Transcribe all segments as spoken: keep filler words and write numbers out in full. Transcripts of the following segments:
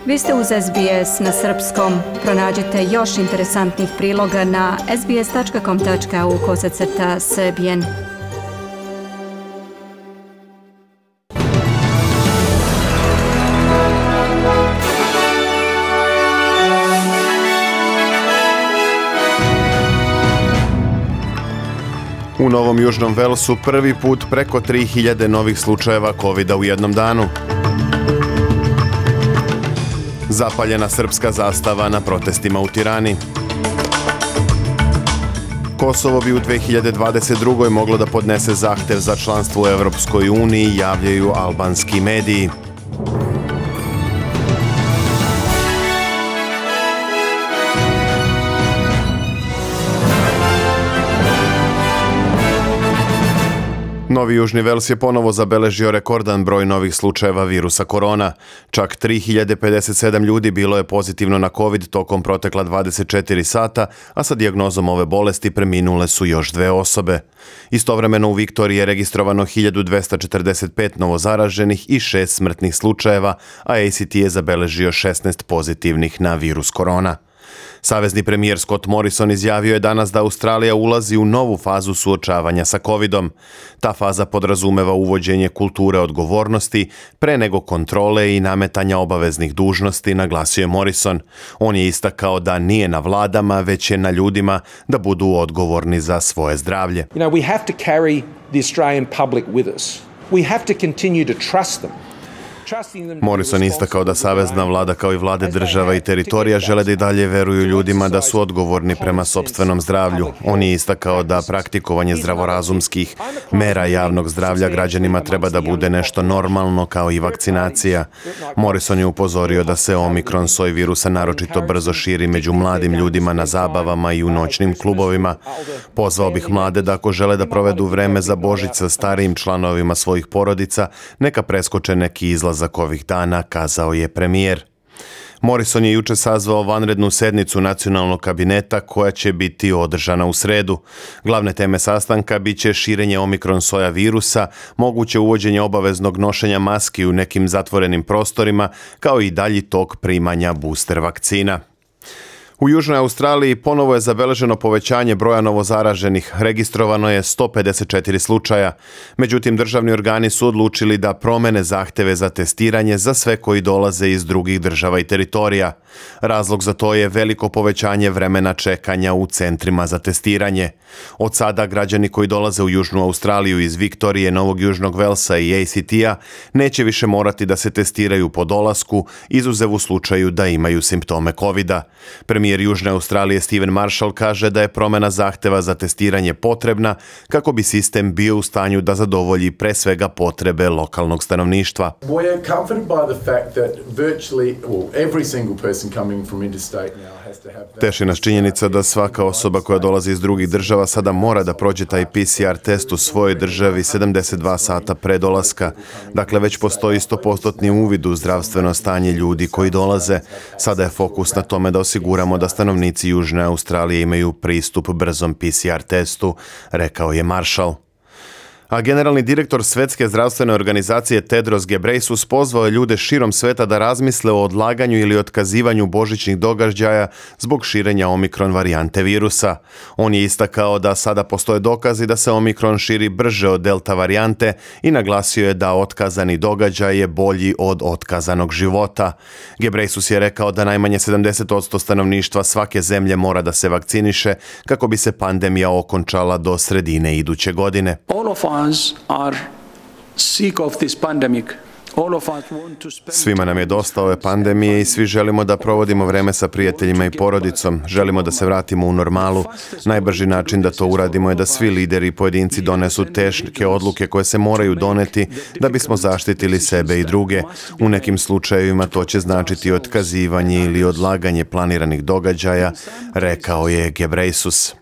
Vi ste uz S B S na srpskom. Pronađite još interesantnih priloga na sbs.com.au kosacrta srbijen. U Novom Južnom Velsu prvi put preko tri hiljade novih slučajeva kovida u jednom danu. Zapaljena srpska zastava na protestima u Tirani. Kosovo bi u dve hiljade dvadeset drugoj moglo da podnese zahtev za članstvo u Evropskoj uniji, javljaju albanski mediji. Novi Južni Vels je ponovo zabeležio rekordan broj novih slučajeva virusa korona. Čak tri hiljade pedeset sedam ljudi bilo je pozitivno na COVID tokom protekla dvadeset četiri sata, a sa dijagnozom ove bolesti preminule su još dve osobe. Istovremeno u Viktoriji je registrovano hiljadu dvesta četrdeset pet novozaraženih i šest smrtnih slučajeva, a A C T je zabeležio šesnaest pozitivnih na virus korona. Savezni premijer Scott Morrison izjavio je danas da Australija ulazi u novu fazu suočavanja sa covidom. Ta faza podrazumeva uvođenje kulture odgovornosti pre nego kontrole i nametanja obaveznih dužnosti, naglasio je Morrison. On je istakao da nije na vladama, već je na ljudima da budu odgovorni za svoje zdravlje. You know, we have to carry the Australian public with us. We have to continue to trust them. Morrison istakao da savezna vlada kao i vlade država i teritorija žele da i dalje veruju ljudima da su odgovorni prema sopstvenom zdravlju. On je istakao da praktikovanje zdravorazumskih mera javnog zdravlja građanima treba da bude nešto normalno kao i vakcinacija. Morrison je upozorio da se omikron soj virusa naročito brzo širi među mladim ljudima na zabavama i u noćnim klubovima. Pozvao bih mlade da ako žele da provedu vreme za Božić sa starijim članovima svojih porodica, neka preskoče neki izlaz za ovih dana, kazao je premijer. Morrison je juče sazvao vanrednu sednicu nacionalnog kabineta koja će biti održana u sredu. Glavne teme sastanka biće širenje omikron soja virusa, moguće uvođenje obaveznog nošenja maski u nekim zatvorenim prostorima, kao i dalji tok primanja booster vakcina. U Južnoj Australiji ponovo je zabeleženo povećanje broja novozaraženih, registrovano je sto pedeset četiri slučaja. Međutim, državni organi su odlučili da promene zahteve za testiranje za sve koji dolaze iz drugih država i teritorija. Razlog za to je veliko povećanje vremena čekanja u centrima za testiranje. Od sada građani koji dolaze u Južnu Australiju iz Viktorije, Novog Južnog Velsa i A C T-a neće više morati da se testiraju po dolasku, izuzev u slučaju da imaju simptome kovida. Premijer Južne Australije Stephen Marshall kaže da je promjena zahteva za testiranje potrebna kako bi sistem bio u stanju da zadovolji pre svega potrebe lokalnog stanovništva. Teši nas činjenica da svaka osoba koja dolazi iz drugih država sada mora da prođe taj P C R test u svojoj državi sedamdeset dva sata pre dolaska. Dakle, već postoji sto posto uvid u zdravstveno stanje ljudi koji dolaze. Sada je fokus na tome da osiguramo da stanovnici Južne Australije imaju pristup brzom P C R testu, rekao je Marshall. A generalni direktor Svetske zdravstvene organizacije Tedros Ghebreyesus pozvao je ljude širom sveta da razmisle o odlaganju ili otkazivanju božićnih događaja zbog širenja omikron varijante virusa. On je istakao da sada postoje dokazi da se omikron širi brže od delta varijante i naglasio je da otkazani događaj je bolji od otkazanog života. Ghebreyesus je rekao da najmanje sedamdeset posto stanovništva svake zemlje mora da se vakciniše kako bi se pandemija okončala do sredine iduće godine. Are sick of this pandemic. Svima nam je dosta ove pandemije i svi želimo da provodimo vreme sa prijateljima i porodicom. Želimo da se vratimo u normalu. Najbrži način da to uradimo je da svi lideri i pojedinci donesu teške odluke koje se moraju doneti da bismo zaštitili sebe i druge. U nekim slučajevima to će značiti otkazivanje ili odlaganje planiranih događaja, rekao je Ghebreyesus.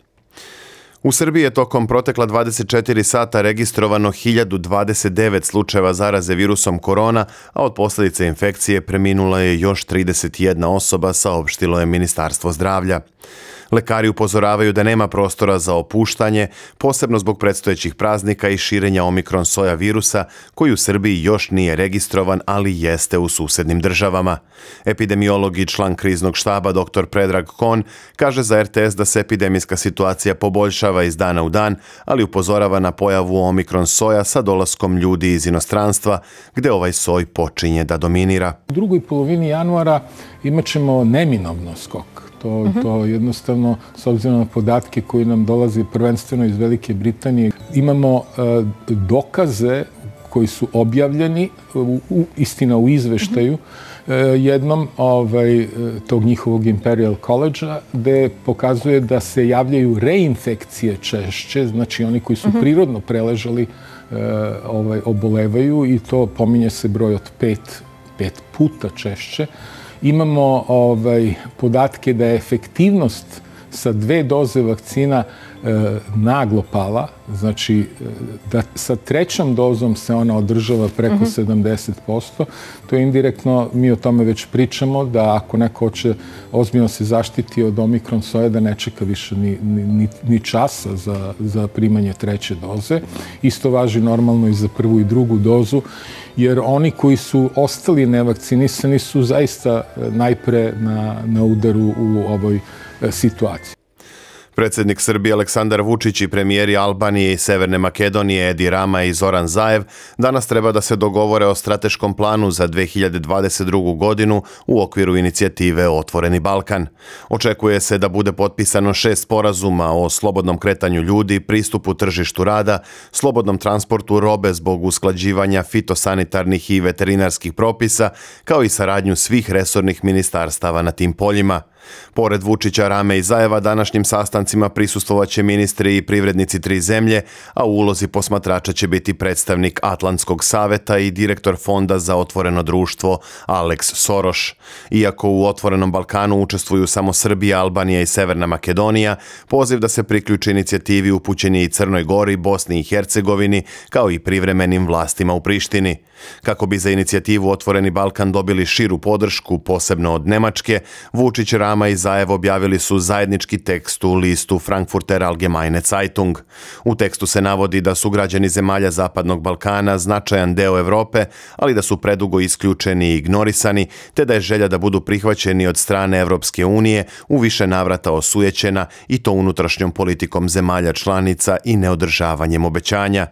U Srbiji je tokom protekla dvadeset četiri sata registrovano hiljadu dvadeset devet slučajeva zaraze virusom korona, a od posljedice infekcije preminula je još trideset jedna osoba, saopštilo je Ministarstvo zdravlja. Lekari upozoravaju da nema prostora za opuštanje, posebno zbog predstojećih praznika i širenja omikron soja virusa, koji u Srbiji još nije registrovan, ali jeste u susednim državama. Epidemiolog i član kriznog štaba dr. Predrag Kon kaže za er te es da se epidemijska situacija poboljšava iz dana u dan, ali upozorava na pojavu omikron soja sa dolaskom ljudi iz inostranstva, gde ovaj soj počinje da dominira. U drugoj polovini januara imat ćemo neminovno skok. To, to jednostavno, s obzirom na podatke koji nam dolaze prvenstveno iz Velike Britanije, imamo uh, dokaze koji su objavljeni, u, u, istina u izveštaju, uh, jednom ovaj, tog njihovog Imperial College-a, gde pokazuje da se javljaju reinfekcije češće, znači oni koji su prirodno preležali uh, ovaj, obolevaju, i to pominje se broj od pet, pet puta češće. Imamo ovaj, podatke da je efektivnost sa dve doze vakcina e, naglo pala, znači da sa trećom dozom se ona održava preko mm-hmm. sedamdeset posto. To je indirektno, mi o tome već pričamo, da ako neko hoće ozbiljno se zaštiti od omikron soje, da ne čeka više ni, ni, ni časa za, za primanje treće doze. Isto važi normalno i za prvu i drugu dozu, jer oni koji su ostali nevakcinisani su zaista najpre na, na udaru u ovoj situaciji. Predsjednik Srbije Aleksandar Vučić i premijeri Albanije i Severne Makedonije Edi Rama i Zoran Zaev danas treba da se dogovore o strateškom planu za dve hiljade dvadeset drugu. godinu u okviru inicijative Otvoreni Balkan. Očekuje se da bude potpisano šest sporazuma o slobodnom kretanju ljudi, pristupu tržištu rada, slobodnom transportu robe zbog usklađivanja fitosanitarnih i veterinarskih propisa, kao i saradnju svih resornih ministarstava na tim poljima. Pored Vučića, Rame i Zaeva, današnjim sastancima prisustvovaće ministri i privrednici tri zemlje, a u ulozi posmatrača će biti predstavnik Atlantskog saveta i direktor Fonda za otvoreno društvo Alex Soroš. Iako u Otvorenom Balkanu učestvuju samo Srbija, Albanija i Severna Makedonija, poziv da se priključi inicijativi upućen je i Crnoj Gori, Bosni i Hercegovini, kao i privremenim vlastima u Prištini. Kako bi za inicijativu Otvoreni Balkan dobili širu podršku, posebno od Nemačke, Vučić, Rama i Zaev objavili su zajednički tekst u listu Frankfurter Allgemeine Zeitung. U tekstu se navodi da su građani zemalja Zapadnog Balkana značajan deo Evrope, ali da su predugo isključeni i ignorisani, te da je želja da budu prihvaćeni od strane Evropske unije u više navrata osujećena, i to unutrašnjom politikom zemalja članica i neodržavanjem obećanja.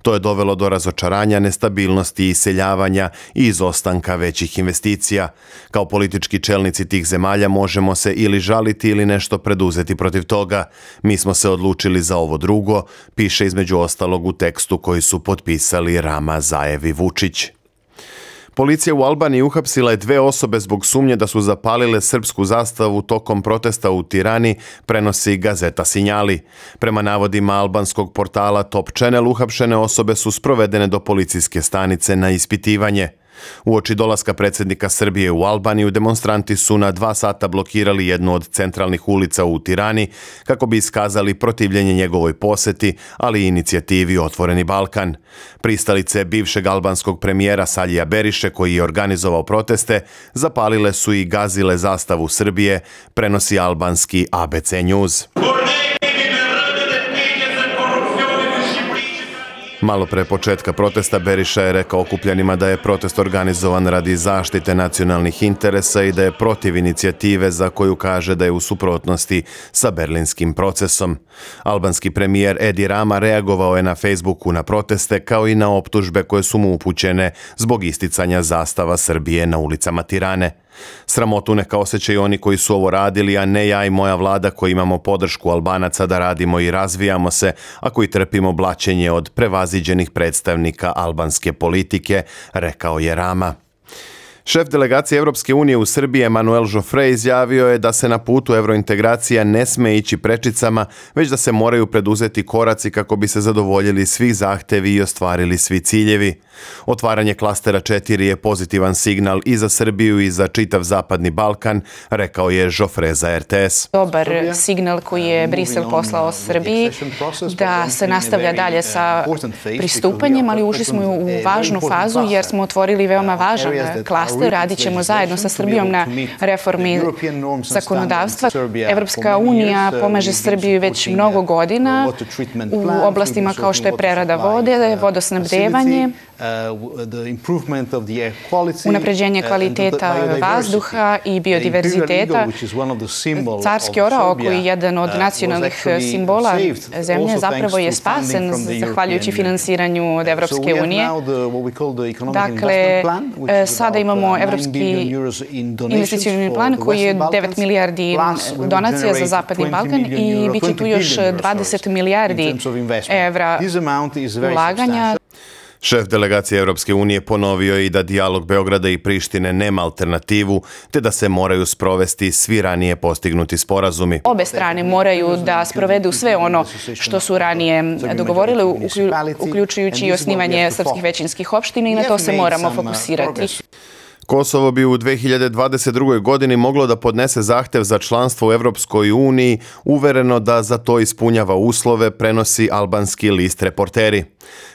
To je dovelo do razočaranja, nestabilnosti, iseljavanja i izostanka većih investicija. Kao politički čelnici tih zemalja možemo se ili žaliti ili nešto preduzeti protiv toga. Mi smo se odlučili za ovo drugo, piše između ostalog u tekstu koji su potpisali Rama, Zaev i Vučić. Policija u Albaniji uhapsila je dve osobe zbog sumnje da su zapalile srpsku zastavu tokom protesta u Tirani, prenosi gazeta Sinjali. Prema navodima albanskog portala Top Channel, uhapšene osobe su sprovedene do policijske stanice na ispitivanje. Uoči dolaska predsjednika Srbije u Albaniju, demonstranti su na dva sata blokirali jednu od centralnih ulica u Tirani kako bi iskazali protivljenje njegovoj poseti, ali i inicijativi Otvoreni Balkan. Pristalice bivšeg albanskog premijera Salija Beriše, koji je organizovao proteste, zapalile su i gazile zastavu Srbije, prenosi albanski A B C News. Malo pre početka protesta Beriša je rekao okupljanima da je protest organizovan radi zaštite nacionalnih interesa i da je protiv inicijative za koju kaže da je u suprotnosti sa berlinskim procesom. Albanski premijer Edi Rama reagovao je na Facebooku na proteste, kao i na optužbe koje su mu upućene zbog isticanja zastava Srbije na ulicama Tirane. Sramotu neka osjećaju oni koji su ovo radili, a ne ja i moja vlada koji imamo podršku Albanaca da radimo i razvijamo se, a koji trpimo blaćenje od prevaziđenih predstavnika albanske politike, rekao je Rama. Šef delegacije Evropske unije u Srbiji Emanuel Joffre izjavio je da se na putu evrointegracija ne sme ići prečicama, već da se moraju preduzeti koraci kako bi se zadovoljili svi zahtevi i ostvarili svi ciljevi. Otvaranje klastera četiri je pozitivan signal i za Srbiju i za čitav Zapadni Balkan, rekao je Joffre za er te es. Dobar signal koji je Brisel poslao Srbiji da se nastavlja dalje sa pristupanjem, ali ušli smo u važnu fazu jer smo otvorili veoma važan klaster raste. Radit ćemo zajedno sa Srbijom na reformi zakonodavstva. Evropska unija pomaže Srbiji već mnogo godina u oblastima kao što je prerada vode, vodosnabdevanje, unapređenje kvaliteta vazduha i biodiverziteta. Carski orao, koji je jedan od nacionalnih simbola zemlje, zapravo je spasen zahvaljujući finansiranju od Evropske unije. Dakle, sada imamo Evropski investicioni plan koji je devet milijardi donacija za Zapadni Balkan i bit će tu još dvadeset milijardi evra ulaganja. Šef delegacije Europske unije ponovio je i da dijalog Beograda i Prištine nema alternativu, te da se moraju sprovesti svi ranije postignuti sporazumi. Obe strane moraju da sprovedu sve ono što su ranije dogovorile, uključujući i osnivanje srpskih većinskih opština, i na to se moramo fokusirati. Kosovo bi u dve hiljade dvadeset drugoj. godini moglo da podnese zahtev za članstvo u Evropskoj uniji, uvereno da za to ispunjava uslove, prenosi albanski list Reporteri.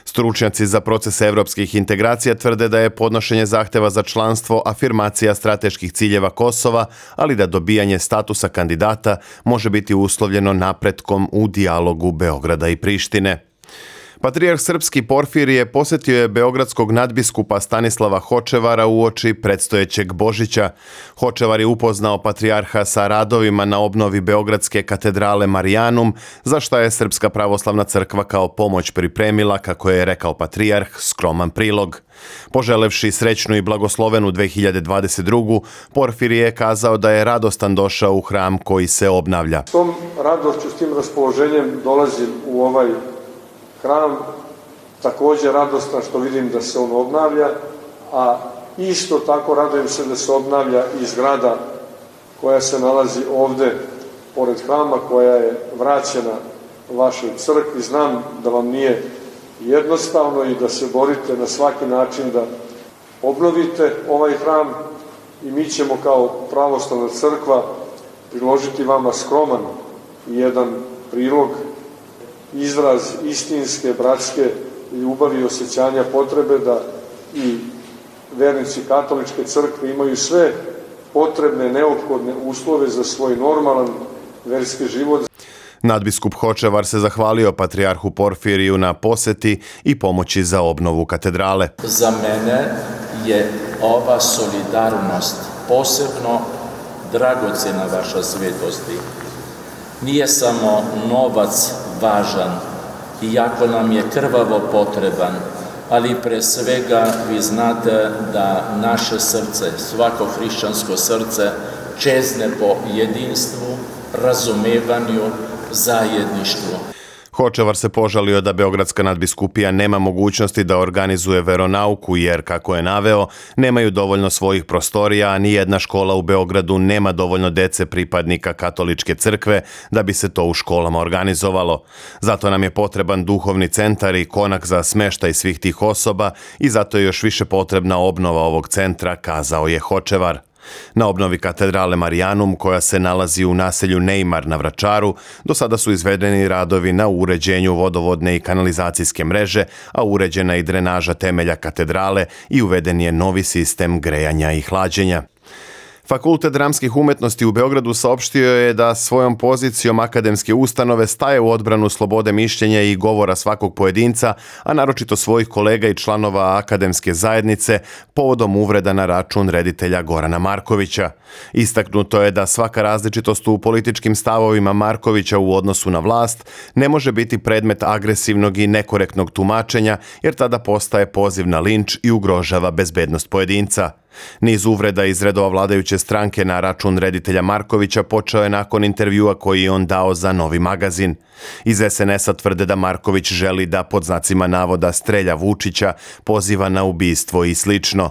Stručnjaci za proces evropskih integracija tvrde da je podnošenje zahteva za članstvo afirmacija strateških ciljeva Kosova, ali da dobijanje statusa kandidata može biti uslovljeno napretkom u dijalogu Beograda i Prištine. Patrijarh srpski Porfirije posjetio je beogradskog nadbiskupa Stanislava Hočevara uoči predstojećeg Božića. Hočevar je upoznao patrijarha sa radovima na obnovi beogradske katedrale Marijanum, za šta je Srpska pravoslavna crkva kao pomoć pripremila, kako je rekao patrijarh, skroman prilog. Poželevši srećnu i blagoslovenu dve hiljade dvadeset drugu. Porfirije je kazao da je radostan došao u hram koji se obnavlja. S tom radošću, s tim raspoloženjem dolazim u ovaj hram, također radostan što vidim da se on obnavlja, a isto tako radujem se da se obnavlja i zgrada koja se nalazi ovde pored hrama, koja je vraćena vašoj crkvi. Znam da vam nije jednostavno i da se borite na svaki način da obnovite ovaj hram, i mi ćemo kao pravoslavna crkva priložiti vama skroman jedan prilog, izraz istinske, bratske ljubavi i osjećanja potrebe da i vernici katoličke crkve imaju sve potrebne, neophodne uslove za svoj normalan verski život. Nadbiskup Hočevar se zahvalio patrijarhu Porfiriju na poseti i pomoći za obnovu katedrale. Za mene je ova solidarnost posebno dragocjena, vaša svetosti. Nije samo novac važan, iako nam je krvavo potreban, ali pre svega vi znate da naše srce, svako hrišćansko srce, čezne po jedinstvu, razumevanju, zajedništvu. Hočevar se požalio da Beogradska nadbiskupija nema mogućnosti da organizuje veronauku jer, kako je naveo, nemaju dovoljno svojih prostorija, a ni jedna škola u Beogradu nema dovoljno dece pripadnika katoličke crkve da bi se to u školama organizovalo. Zato nam je potreban duhovni centar i konak za smeštaj svih tih osoba i zato je još više potrebna obnova ovog centra, kazao je Hočevar. Na obnovi katedrale Marijanum, koja se nalazi u naselju Neymar na Vračaru, do sada su izvedeni radovi na uređenju vodovodne i kanalizacijske mreže, a uređena i drenaža temelja katedrale i uveden je novi sistem grejanja i hlađenja. Fakultet dramskih umetnosti u Beogradu saopštio je da svojom pozicijom akademske ustanove staje u odbranu slobode mišljenja i govora svakog pojedinca, a naročito svojih kolega i članova akademske zajednice, povodom uvreda na račun reditelja Gorana Markovića. Istaknuto je da svaka različitost u političkim stavovima Markovića u odnosu na vlast ne može biti predmet agresivnog i nekorektnog tumačenja, jer tada postaje poziv na linč i ugrožava bezbednost pojedinca. Niz uvreda iz redova vladajuće stranke na račun reditelja Markovića počeo je nakon intervjua koji je on dao za Novi magazin. Iz es en es a tvrde da Marković želi da pod znacima navoda strelja Vučića, poziva na ubistvo i slično.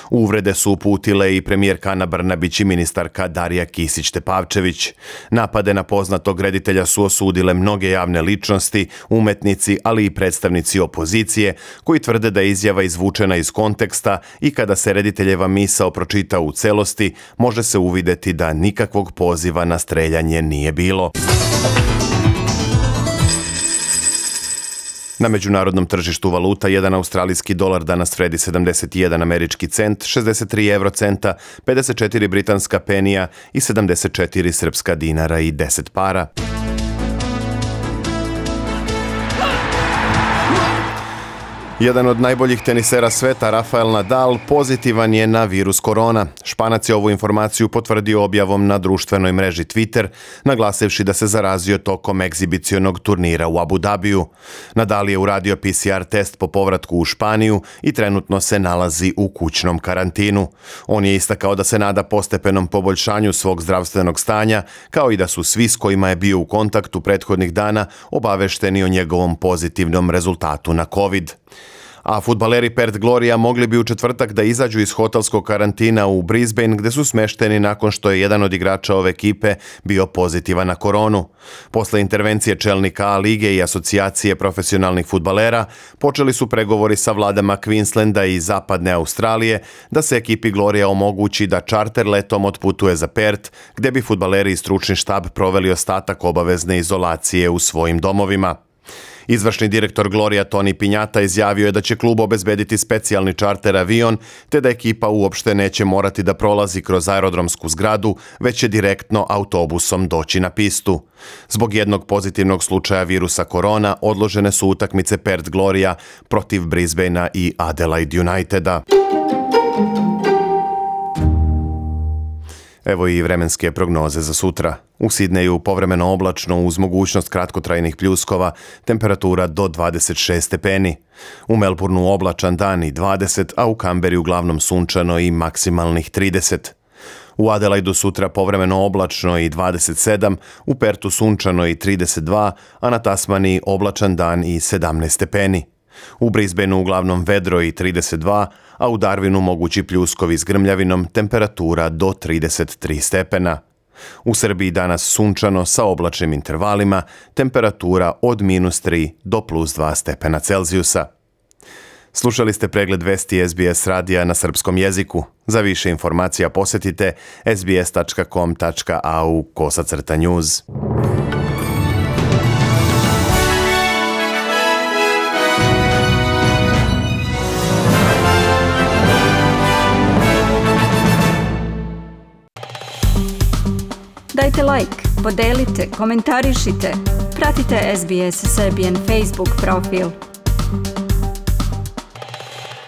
Uvrede su uputile i premijerka Ana Brnabić i ministarka Darija Kisić-Tepavčević. Napade na poznatog reditelja su osudile mnoge javne ličnosti, umetnici, ali i predstavnici opozicije, koji tvrde da je izjava izvučena iz konteksta i kada se rediteljeva misao pročita u celosti, može se uvideti da nikakvog poziva na streljanje nije bilo. Na međunarodnom tržištu valuta jedan australijski dolar danas vredi sedamdeset jedan američki cent, šezdeset tri evrocenta, pedeset četiri britanska penija i sedamdeset četiri srpska dinara i deset para. Jedan od najboljih tenisera sveta, Rafael Nadal, pozitivan je na virus korona. Španac je ovu informaciju potvrdio objavom na društvenoj mreži Twitter, naglasivši da se zarazio tokom egzibicionog turnira u Abu Dhabiju. Nadal je uradio P C R test po povratku u Španiju i trenutno se nalazi u kućnom karantinu. On je istakao da se nada postepenom poboljšanju svog zdravstvenog stanja, kao i da su svi s kojima je bio u kontaktu prethodnih dana obavešteni o njegovom pozitivnom rezultatu na COVID. A fudbaleri Perth Gloria mogli bi u četvrtak da izađu iz hotelskog karantina u Brisbane, gde su smešteni nakon što je jedan od igrača ove ekipe bio pozitivan na koronu. Posle intervencije čelnika A lige i asocijacije profesionalnih fudbalera, počeli su pregovori sa vladama Queenslanda i zapadne Australije da se ekipi Gloria omogući da čarter letom otputuje za Perth, gde bi fudbaleri i stručni štab proveli ostatak obavezne izolacije u svojim domovima. Izvršni direktor Gloria Toni Pinjata izjavio je da će klub obezbediti specijalni čarter avion, te da ekipa uopšte neće morati da prolazi kroz aerodromsku zgradu, već će direktno autobusom doći na pistu. Zbog jednog pozitivnog slučaja virusa korona odložene su utakmice Perth Gloria protiv Brisbanea i Adelaide Uniteda. Evo i vremenske prognoze za sutra. U Sidneju povremeno oblačno uz mogućnost kratkotrajnih pljuskova, temperatura do dvadeset šest stepeni. U Melbourneu oblačan dan i dvadeset, a u Kamberi uglavnom sunčano i maksimalnih trideset. U Adelaidu sutra povremeno oblačno i dvadeset sedam, u Pertu sunčano i trideset dva, a na Tasmaniji oblačan dan i sedamnaest stepeni. U Brisbaneu uglavnom vedro i trideset dva, a u Darwinu mogući pljuskovi s grmljavinom, temperatura do trideset tri stepena. U Srbiji danas sunčano sa oblačnim intervalima, temperatura od minus tri do plus dva stepena Celzijusa. Slušali ste pregled vesti S B S radija na srpskom jeziku. Za više informacija posetite s b s tačka com tačka a u kosacrta news. Dajte like, podelite, komentarišite. Pratite S B S Serbian Facebook profil.